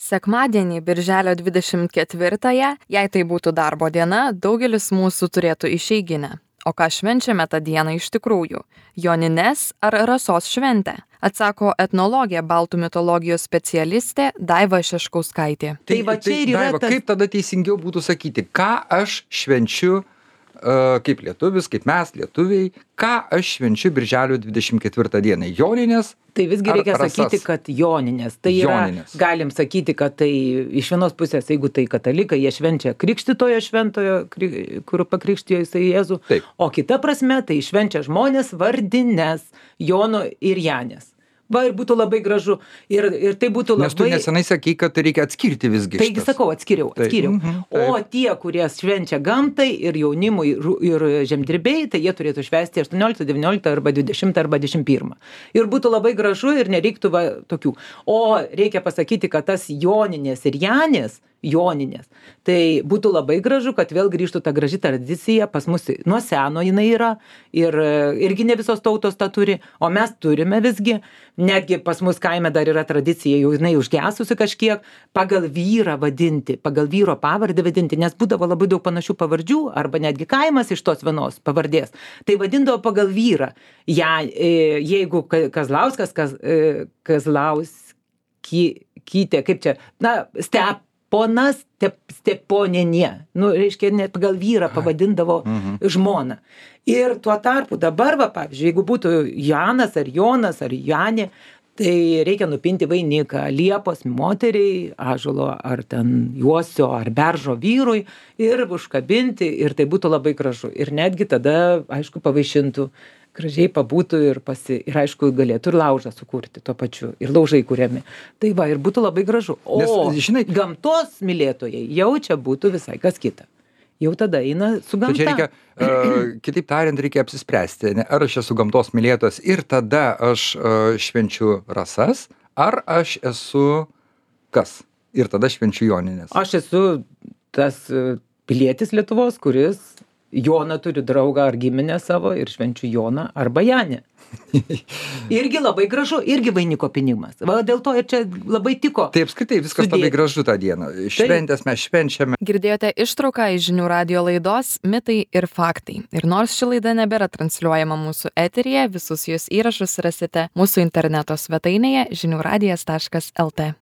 Sekmadienį, birželio 24-ąją, jei tai būtų darbo diena, daugelis mūsų turėtų išeiginę. O ką švenčiame tą dieną iš tikrųjų? Jonines ar rasos šventę? Atsako etnologė, baltų mitologijos specialistė Daiva Šeškauskaitė. Tai va čia ir yra Daiva, kaip tada teisingiau būtų sakyti, ką aš švenčiu kaip lietuvis, kaip mes lietuviai, ką aš švenčiu birželio 24 dieną? Joninės? Tai visgi reikia sakyti, kad joninės. Tai Joninės. galim sakyti, kad tai iš vienos pusės, jeigu tai katalikai, jie švenčia krikštitojo šventojo, kur pakrikštijo jisai Jėzų. Taip. O kita prasme, tai švenčia žmonės vardines Jono ir Janės. Va, ir būtų labai gražu. Ir tai būtų labai... Nes tu nesenai sakei, kad reikia atskirti visgi Taigi sakau, atskiriau. O tie, kurie švenčia gamtai ir jaunimui ir žemdirbiai, tai jie turėtų švęsti 18, 19 arba 20 arba 21. Ir būtų labai gražu ir nereiktų tokių. O reikia pasakyti, kad tas Joninės ir Janės, Joninės, tai būtų labai gražu, kad vėl grįžtų ta graži tradicija, pas mus nuo seno jinai yra ir irgi ne visos tautos tą turi, o mes turime visgi, netgi pas mus kaime dar yra tradicija, jau jinai užgesusi kažkiek, pagal vyrą vadinti, pagal vyro pavardę vadinti, nes būdavo labai daug panašių pavardžių, arba netgi kaimas iš tos vienos pavardės, tai vadindavo pagal vyrą. Ja, jeigu Kazlauskas, Kazlauskytė, kaip čia, Steponas Steponienė, reiškia, net pagal vyrą pavadindavo žmoną. Ir tuo tarpu dabar, pavyzdžiui, jeigu būtų Janas ar Jonas ar Janė, tai reikia nupinti vainiką liepos moteriai, ąžuolo ar ten juosio ar beržo vyrui ir užkabinti ir tai būtų labai gražu. Ir netgi tada, aišku, pavaišintų, gražiai pabūtų ir aišku, galėtų ir laužą sukurti tuo pačiu. Ir laužai kuriami. Tai va, ir būtų labai gražu. O žinai, gamtos mylėtojai jau čia būtų visai kas kita. Jau tada eina su gamta. Čia reikia, kitaip tariant, reikia apsispręsti, ar aš esu gamtos mylėtojas ir tada aš švenčiu rasas, ar aš esu kas? Ir tada švenčiu Joninės. Aš esu tas pilietis Lietuvos, kuris Joną turi draugą ar giminę savo ir švenčiu Joną arba Janę. Irgi labai gražu, irgi vainiko pinimas. Va, dėl to ir čia labai tiko. Tai apskritai viskas labai gražu tą dieną. Šventės mes švenčiame. Girdėjote ištrauką iš Žinių radijo laidos Mitai ir faktai. Ir nors ši laida nebėra transliuojama mūsų eteryje, visus jos įrašus rasite mūsų interneto svetainėje žiniųradijas.lt.